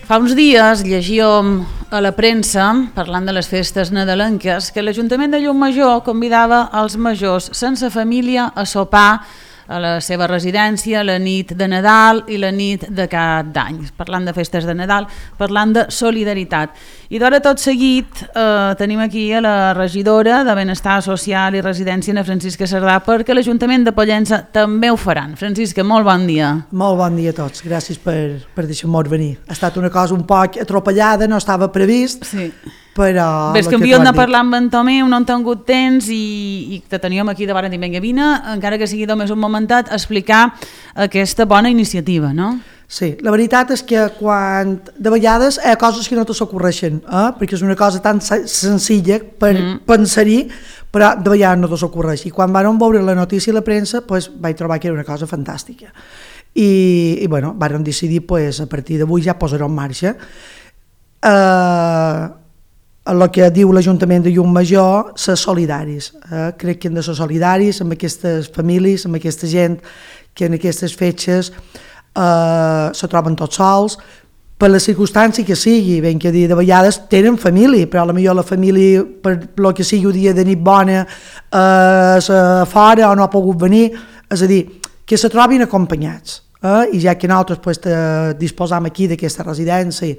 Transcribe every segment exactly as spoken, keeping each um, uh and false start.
Fa uns dies llegíem a la premsa, parlant de les festes nadalenques, que l'Ajuntament de Llucmajor convidava els majors sense família a sopar a la seva residència la nit de Nadal i la nit de Cap d'Any. Parlant de festes de Nadal, parlant de solidaritat. I d'hora tot seguit eh, tenim aquí a la regidora de Benestar Social i Residència, Ana Francisca Cerdà, perquè l'Ajuntament de Pollença també ho faran. Francisca, molt bon dia. Molt bon dia a tots, gràcies per, per deixar-nos venir. Ha estat una cosa un poc atropellada, no estava previst, sí. Però... Ves que havíem de parlar amb en Tomeu, no han tingut temps i, i te teníem aquí davant i vinga, vine, encara que sigui només un momentat, a explicar aquesta bona iniciativa, no? Sí, la veritat és que quan de vegades hi ha coses que no te s'ocorreixen, eh? perquè és una cosa tan senzilla per mm. pensar-hi, però de vegades no te s'ocorreix. I quan vam veure la notícia a la premsa, pues, vaig trobar que era una cosa fantàstica. I, i bueno, vam decidir, pues, a partir d'avui ja posar-ho en marxa. Eh... el que diu l'Ajuntament de Llucmajor, ser solidaris. Eh? Crec que hem de ser solidaris amb aquestes famílies, amb aquesta gent que en aquestes fetges eh, se troben tots sols, per la circumstància que sigui, ben que dir, de vegades tenen família, però potser la família, per el que sigui un dia de nit bona, eh, és fora o no ha pogut venir, és a dir, que se trobin acompanyats. Eh? I ja que nosaltres pues, disposam aquí d'aquesta residència,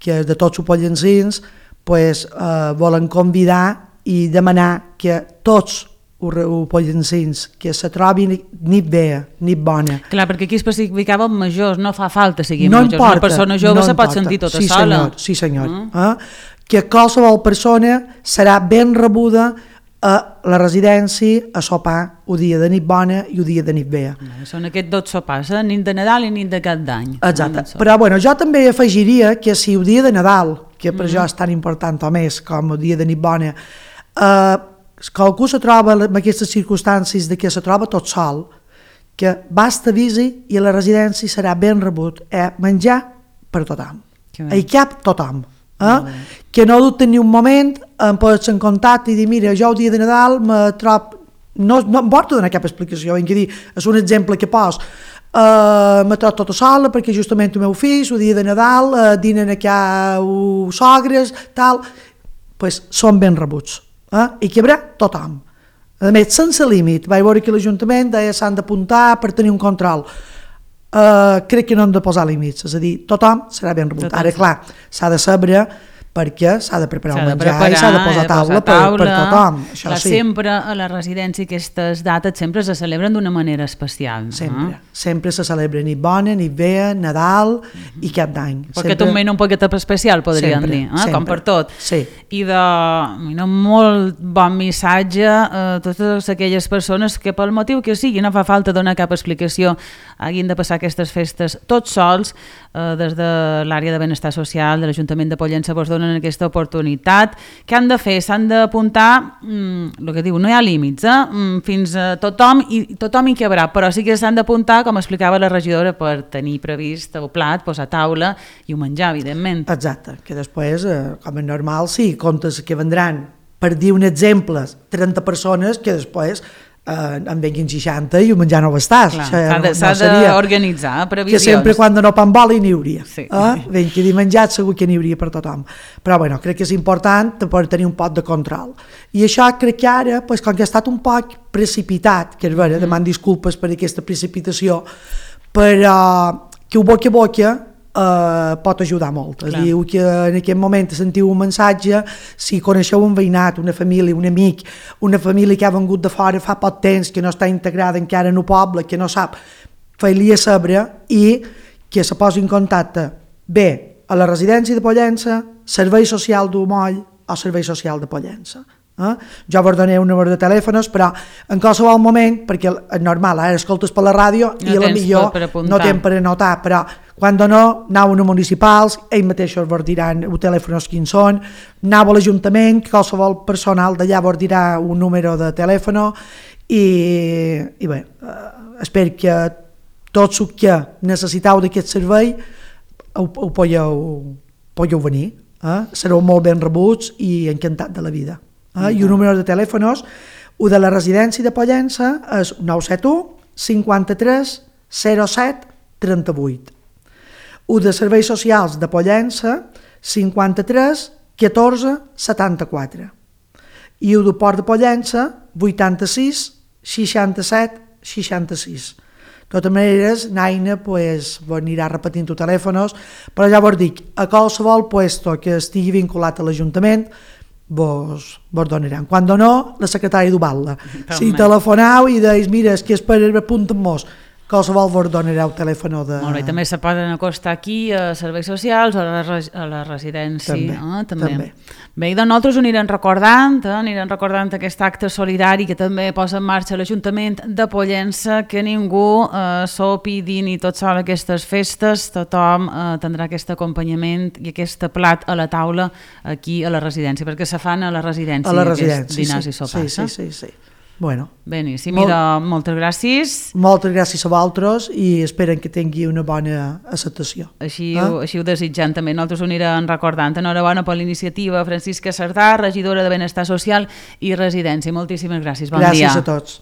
que és de tots els pollensins, pues, eh, volen convidar i demanar que tots els pollensins que se trobin nit bé, nit bona. Clar, perquè aquí especificava majors, no fa falta seguir no majors, importa, una persona jove no se pot importa. sentir tota sí, sola. Senyor, sí senyor, mm. eh? Que qualsevol persona serà ben rebuda a la residència a sopar el dia de nit bona i el dia de nit bé. Són aquests dos sopars, eh? Nit de Nadal i nit de Cap d'Any. Exacte, però bueno, jo també afegiria que si el dia de Nadal, que per mm. jo és tan important o més com el dia de nit bona, eh, que algú se troba en aquestes circumstàncies de que se troba tot sol, que basta avisi i a la residència serà ben rebut, eh, menjar per tothom, hi cap tothom. Eh? Que no dubten ni un moment, em pots en contacte i dir, mira, jo el dia de Nadal me trob... No, no em porto donar cap explicació, ben que dir, és un exemple que pos. Uh, me trobo tota sola perquè justament el meu fill, el dia de Nadal, uh, dinen aquí a uh, sogres, tal, pues són ben rebuts. Eh? I que hi haurà tothom. A més, sense límit, vaig veure que l'Ajuntament deia s'han d'apuntar per tenir un control. Uh, crec que no hem de posar límits, és a dir, tothom serà ben rebut. Ara, clar, s'ha de saber perquè s'ha de preparar el menjar preparar, i s'ha de posar taula, de posar taula per, per tothom. Això clar, sí. Sempre a la residència aquestes dates sempre se celebren d'una manera especial. Sempre, eh? sempre se celebra nit bona, nit bé, Nadal uh-huh. i Cap d'Any. Perquè sempre... també un poquet especial, podríem sempre, dir, eh? Com per tot. Sí. I de un molt bon missatge a totes aquelles persones que pel motiu que sigui, no fa falta donar cap explicació, hagin de passar aquestes festes tots sols, eh, des de l'àrea de benestar social de l'Ajuntament de Pollença vos donen en aquesta oportunitat. Què han de fer? S'han d'apuntar, mm, el que diu, no hi ha límits, eh? mm, fins a tothom i tothom hi cabrà, però sí que s'han d'apuntar, com explicava la regidora, per tenir previst el plat, posar taula i ho menjar, evidentment. Exacte, que després, eh, com és normal, sí, comptes que vendran, per dir un exemple, trenta persones que després eh, en venguin seixanta i ho menjar no va estar. S'ha d'organitzar no previsions. Que sempre quan no pan boli n'hi hauria. Sí. Eh? Ben que dir menjat segur que n'hi hauria per tothom. Però bueno, crec que és important per tenir un poc de control. I això crec que ara, pues, com que ha estat un poc precipitat, que és vera, mm. deman disculpes per aquesta precipitació, però que ho boca a boca Uh, pot ajudar molt. És dir, que en aquest moment sentiu un missatge, si coneixeu un veïnat, una família, un amic, una família que ha vengut de fora fa poc temps, que no està integrada encara en el poble, que no sap, fer-li a saber i que se posi en contacte bé a la residència de Pollença, Servei Social d'Umoll o Servei Social de Pollença. Eh? Jo vos donaré un número de telèfons, però en qualsevol moment, perquè és normal, ara escoltes per la ràdio no i a la millor no tens per anotar, però quan no, aneu a municipals, ells mateixos vos diran els telèfons quins són, aneu a l'Ajuntament, qualsevol personal d'allà vos dirà un número de telèfon i, i bé, eh, espero que tots els que necessiteu d'aquest servei ho, ho podeu, podeu venir, eh? Sereu molt ben rebuts i encantat de la vida. Eh? I un número de telèfons, el de la residència de Pollença és nou set u cinquanta-tres zero set trenta-vuit. el de serveis socials de Pollença, cinquanta-tres catorze setanta-quatre. I el de Port de Pollença, vuitanta-sis seixanta-set seixanta-sis. De totes maneres, Naina pues, anirà repetint els telèfons, però ja vos dic, a qualsevol puesto que estigui vinculat a l'Ajuntament, vos, vos donaran. Quan no, la secretària d'Ubalda. Si telefoneu i deis, mira, és que és per apuntar-nos, qualsevol vos donarà el telèfon de... Molt bé, també se poden acostar aquí a serveis socials o a la, a la residència. També, eh? també. també. Bé, i de nosaltres ho anirem recordant, eh? anirem recordant aquest acte solidari que també posa en marxa l'Ajuntament de Pollença, que ningú eh, sopi, dini tot sol aquestes festes, tothom eh, tindrà aquest acompanyament i aquest plat a la taula aquí a la residència, perquè se fan a la residència, a la residència, dinars sí, i sopars. Sí, sí, sí, sí. Bueno, Beníssim, molt, Molt... moltes gràcies. Moltes gràcies a vosaltres i esperen que tingui una bona acceptació. Així, eh? ho, així ho desitjant també. Nosaltres ho anirem recordant. Enhorabona per l'iniciativa Francisca Sardà, regidora de Benestar Social i Residència. Moltíssimes gràcies. Bon gràcies dia. Gràcies a tots.